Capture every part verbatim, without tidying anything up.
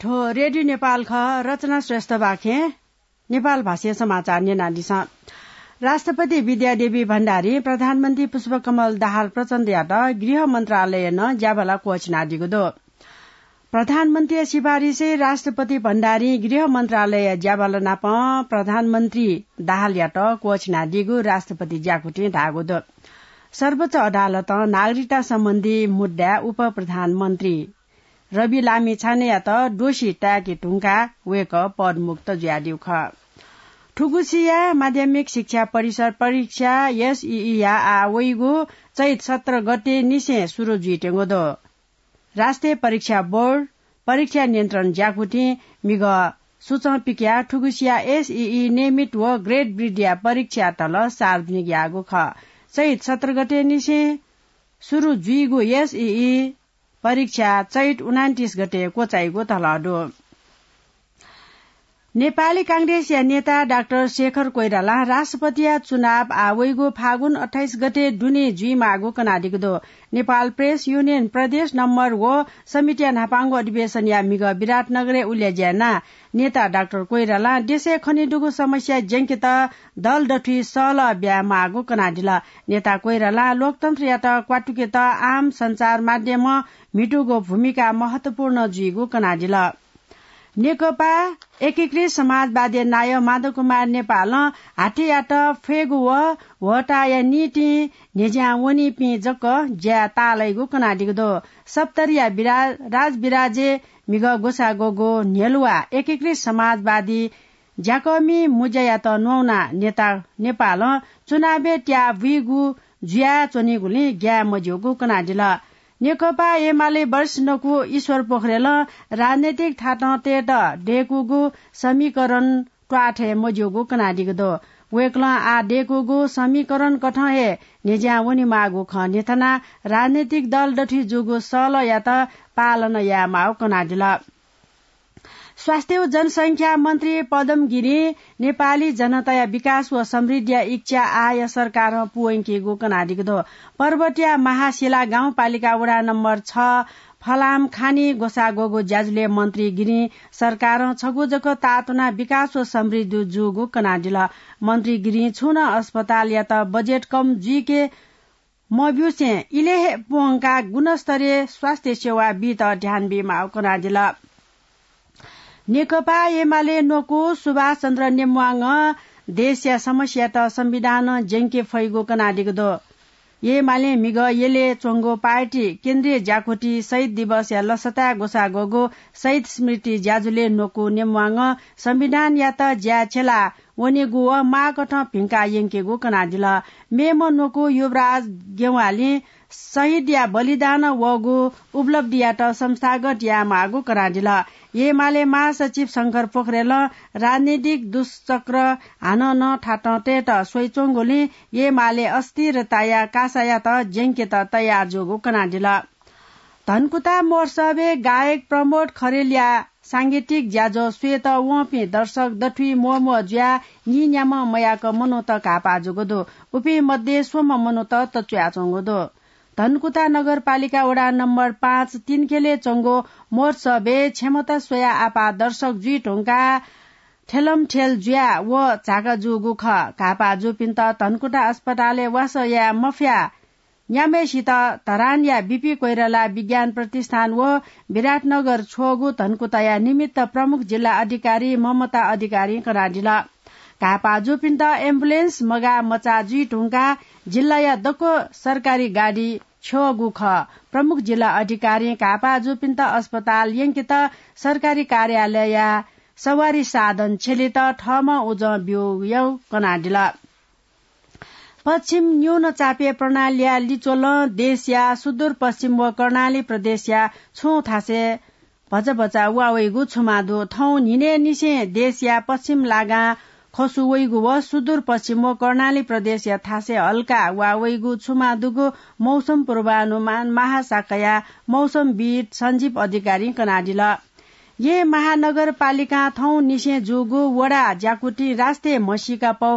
थ्व रेडियो नेपाल खः। रचना श्रेष्ठपाखें नेपाल भाषाया समाचार न्यनादिसँ। राष्ट्रपति विद्यादेवी भण्डारीं प्रधानमन्त्री पुष्पकमल दाहाल प्रचण्डयात गृह मन्त्रालयं ज्याभाला क्वःछिनादीगु दु। प्रधानमन्त्रीया सिफारिसय् राष्ट्रपति भण्डारीं गृह मन्त्रालयया ज्याभाला नाप प्रधानमन्त्री दाहालयात क्वःछिनादीगु राष्ट्रपति ज्याकुथिं धाःगु दु। सर्वोच्च अदालतं नागरिकता सम्बन्धी मुद्दाय् उपप्रधानमन्त्री रवि लामिछानेयात दोषी ताय्के धुंकाः वय्कः पदमुक्त जुयादीगु खः। थुगुसिया माध्यमिक शिक्षा परिषद परीक्षा एसईई या आः वइगु चैत सत्र गते निसें सुरु जुइत्यंगु दु। राष्ट्रिय परीक्षा बोर्ड, परीक्षा नियन्त्रण ज्याकुथिं मिगः सुचं पिकयाः थुगुसिया एसईई नियमित व ग्रेड वृद्धिया परीक्षा तल सार्वजनिक याःगु खः। चैत सत्र गते निसें सुरु जुइगु एसईई परीक्षा चैत उनान्तिस गते क्वचाइगु तल दु। नेपाली कांग्रेसया नेता डाक्टर शेखर कोइरालां राष्ट्रपतिया चुनाव आः वइगु फागुन अट्ठाइस गते दुने जुइमाःगु कनादीगु दु। नेपाल प्रेस युनियन प्रदेश नम्बर व समितिया न्हापांगु अधिवेशनया म्हिगः विराटनगरय् उलेज्या यानाः नेता डाक्टर कोइरालां देशय् खनेदुगु समस्या ज्यंकेत दल दथुइ सहलह ब्यायेमाःगु कनादिल। नेता कोइरालां लोकतन्त्रयात क्वातुकेत आम सञ्चार माध्यमं म्हितुगु भूमिका महत्वपूर्ण जुइगु कनादिल। नेकपा एकीकृत समाजवादी नायः माधव कुमार नेपालं हाथीयात फ्वयेगु व ह्वःताया निंतिं न्ह्यज्यां वनीपिं जक ज्याय् ताःलाइगु कनादीगु दु। सप्तरीया बिरा-, राजविराजय् म्हिगः ग्वसाः ग्वःगु न्ह्यलुवा एकीकृत समाजवादी ज्याकःमि मुज्यायात न्ववानाः नेता नेपालं चुनावय् त्याः बुइगु जुयाच्वनीगुलिं ग्याये मज्यूगु कनादिल। नेकपा एमाले वरिष्ठ नकु ईश्वर पोखरेलं राजनैतिक थातं तयेत दय्कूगु समीकरण त्वाःथें मज्यूगु कनादीगु दु। वय्कलं आः दय्कूगु समीकरण कथं हे न्ह्यज्यां वनेमाःगु खँ न्ह्यथनाः राजनैतिक दल दथुइ जूगु सहलहयात पालना यायेमाःगु कनादिल। स्वास्थ्य व जनसंख्या मन्त्री पदम गिरिं नेपाली जनताया विकास व समृद्धिया इच्छा आःया सरकारं पूवंकीगु कनादीगु दु। पर्वतया महाशिला गाउँपालिका वडा नम्बर छ फलाम खानी ग्वसाः ग्वःगु ज्याझ्वलय् मन्त्री गिरिं सरकारं छगू जक ताःतुनाः विकास व समृद्धि जूगु कनादिल। मन्त्री गिरिं छुं नं अस्पतालयात बजेट कम जुइके मब्यूसें इलय् हे प्वंकाः गुणस्तरीय स्वास्थ्य सेवा बीत ध्यान बीमाःगु कनादिल। नेकपा एमाले नकु सुभाष चन्द्र नेम्वाङं देशया समस्यात संविधानं ज्यंके फइगु कनादीगु दु। एमाले म्हिगः यलय् च्वंगु पार्टी केन्द्रीय ज्याकुथि शहीद दिवसया लसताय् ग्वसाः ग्वःगु शहीद स्मृति ज्याझ्वलय् नकु नेम्वाङं संविधानयात ज्याय् छ्यला वनेगु व माःकथं भिंका यंकेगु कनादिल। मेम्ह नकु युवराज गेवालीं शहीदया बलिदानं वःगु उपलब्धियात संस्थागत यायेमाःगु कनादिल। एमाले महासचिव शंकर पोखरेलं राजनीतिक दुष्चक्र हानं नं थातं तयेत स्वइच्वंगुलिं एमाले अस्थिरताया कासायात ज्यंकेत तयार जूगु कनादिल। धनकुता महोत्सवय् गायक प्रमोद खरेलया सांगीतिक ज्याझ्वः स्वयेत वंपिं दर्शक दथुइ म्वःम्वः जुयाः नीन्याम्ह मयाक मनूत घाःपाः जूगु दु। उपिं मध्ये स्वम्ह मनूत तच्वयाच्वंगु दु। धनकुता नगरपालिका वडा नम्बर पाँच तिनखेलय् च्वंगु महोत्सवय् क्षमता स्वयाः आपाः दर्शक जुइ धुंकाः ठेलमठेल जुयाः व झाका जूगु खः। घाःपाः जूपिन्त धनकुता अस्पतालय् वासः याये मफयाः न्याम्हय्सित धरानया बिपी कोइराला विज्ञान प्रतिष्ठान व विराटनगर छ्वःगु धनकुताया निमित्त प्रमुख जिल्ला अधिकारी ममता अधिकारीं कनादिल। घाःपाः जूपिन्त एम्बुलेन्स मगाः मचाः जुइ धुंकाः जिल्लाया दक्व सरकारी गाडी छ्यःगु खः। प्रमुख जिल्ला अधिकारीं घाःपाः जूपिन्त अस्पताल यंकेत सरकारी कार्यालयया सवारी साधन छ्यलेत थःम्हं उजं ब्यूगु कनादिल। पश्चिम न्यून चापीय प्रणालीया लिच्वलं देशया सुदूरपश्चिम व कर्णाली प्रदेशया छुं थासय् भचा भचा वा वइगु छुमा दु। थौं न्हिनय्निसें देशया पश्चिम लागां खसु वइगु व सुदूरपश्चिम व कर्णाली प्रदेशया थासय् हल्का वा वइगु छुमा दुगु मौसम पूर्वानुमान महाशाखाया मौसमविद् सञ्जीव अधिकारीं कनादिल। येँ महानगरपालिकां थौंनिसें जूगु वडा ज्याकुथिं राष्ट्रिय म्हसीका पौ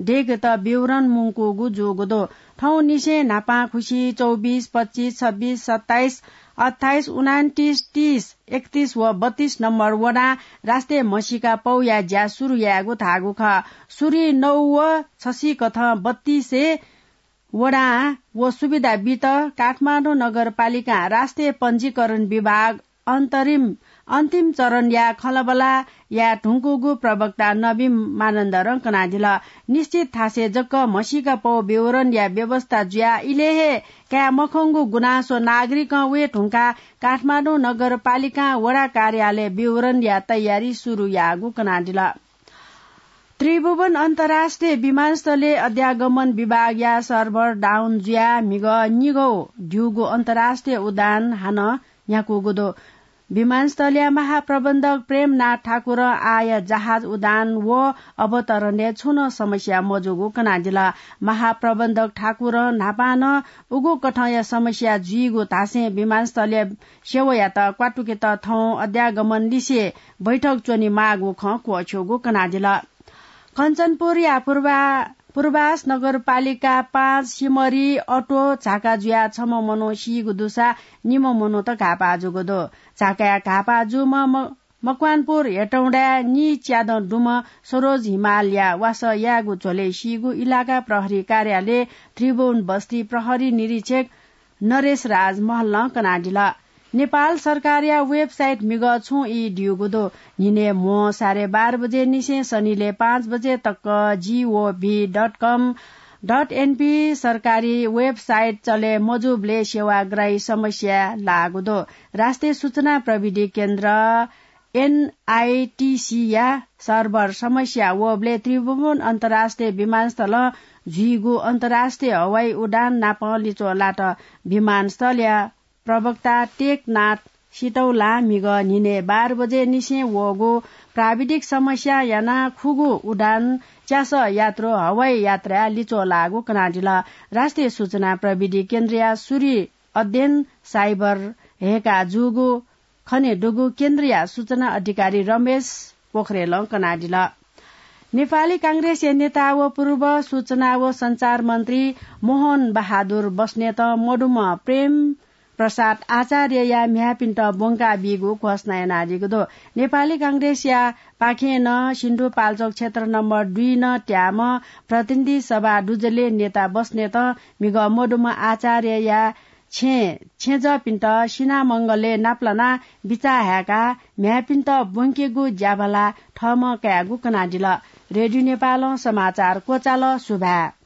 डेगत विवरण मुंकूगु जूगु दु। थौंनिसें न्हापांखुसी चौबिस, पच्चिस, छब्बिस, सत्ताइस, अट्ठाइस, उनान्तिस, तीस, एकतिस व बत्तीस नम्बर वडां राष्ट्रिय म्हसीका पौया ज्या सुरु यायेगु धाःगु खः। सुरी नौ व छसिकथं बत्तीसय् वडां व सुविधा बित काठमाडौं नगरपालिकां राष्ट्रिय पञ्जीकरण विभाग अन्तरिम, अन्तिम चरणया खँल्हाबल्हा याये धुंकूगु प्रवक्ता नवीन मानन्धरं कनादिल। निश्चित थासय् जक म्हसीका पौ विवरणया व्यवस्था जुयाः इलय् हे काये मखंगु गुनासो नागरिकं वये धुंकाः काठमाडौं नगरपालिकां वडा कार्यालय विवरणया तयारी सुरु याःगु कनादिल। त्रिभुवन अन्तर्राष्ट्रिय विमानस्थलय् अध्यागमन विभागया सर्भर डाउन जुयाः म्हिगः निगौ द्यूगु अन्तर्राष्ट्रिय उडान हानं न्ह्याकूगु दु। विमानस्थलया महाप्रबन्धक प्रेमनाथ ठाकुरं आःया जहाज उडान व अवतरणय् छुं नं समस्या मजूगु कनादिल। महाप्रबन्धक ठाकुरं न्हापां नं उगु कथंया समस्या जुइगु धासें विमानस्थलया सेवायात क्वातुकेत थौं अध्यागमन लिसे बैठक च्वनेमाःगु खँ क्वःछ्यूगु कनादिल। कञ्चनपुरया पूर्वा-, पूर्वास नगरपालिका पाँच सिमरी अटो झाका जुयाः छम्ह मनू सीगु दुसा निम्ह मनूत घाःपाः जूगु दु। झाकाय् घाःपाः जूम्ह म-, मकवानपुर हेटौँडाय् नीच्यादँ दुम्ह सरोज हिमालया वासः यायेगु झ्वलय् सीगु इलाका प्रहरी कार्यालय त्रिभुवन बस्ती प्रहरी निरीक्षक नरेश राज महलं कनादिल। नेपाल सरकारया वेबसाइट म्हिगः छुं ई द्यूगु दु। न्हिनय् म्हो साढे बाह्र बजे निसें सनिलय् पाँच बजे तक जीओभी डट कम डट एनपी सरकारी वेबसाइट चले मजूबलय् सेवाग्राही समस्या लाःगु दु। राष्ट्रिय सूचना प्रविधि केन्द्र एनआईटीसीया सर्भर समस्या वःबलय् त्रिभुवन अन्तर्राष्ट्रिय विमानस्थलं जुइगु अन्तर्राष्ट्रिय हवाई उडान नाप लिच्वः लात। विमानस्थलया प्रवक्ता टेकनाथ सितौलां म्हिगः न्हिनय् बाह्र बजे निसें वःगु प्राविधिक समस्या यानाः खुगू उडान च्यासः यात्रु हवाई यात्राय् लिच्वः लाःगु कनादिल। राष्ट्रिय सूचना प्रविधि केन्द्रया सुरी अध्ययन साइबर हय्का जूगु खनेदुगु केन्द्रीय सूचना अधिकारी रमेश पोखरेलं कनादिल। नेपाली कांग्रेसया नेता व पूर्व सूचना व सञ्चार मन्त्री मोहन बहादुर बस्नेतं मदुम्ह प्रेम प्रसाद आचार्यया म्ह्याय्‌पिन्त ब्वंका बीगु घोषणा यानादीगु दु। नेपाली कांग्रेसया पाखें नं सिन्धुपाल्चोक क्षेत्र नम्बर दुई नं त्याःम्ह प्रतिनिधि सभा दुजलय् नेता बस्नेतं म्हिगः मदुम्ह आचार्यया छेँ छेँजःपिन्त सिनामंगलय् नापलानाः बिचाः हाय्काः म्ह्याय्‌पिन्त ब्वंकेगु ज्याभला थःम्हं कायेगु कनादिल। रेडियो नेपालं समाचार क्वचाल। सुभाय्।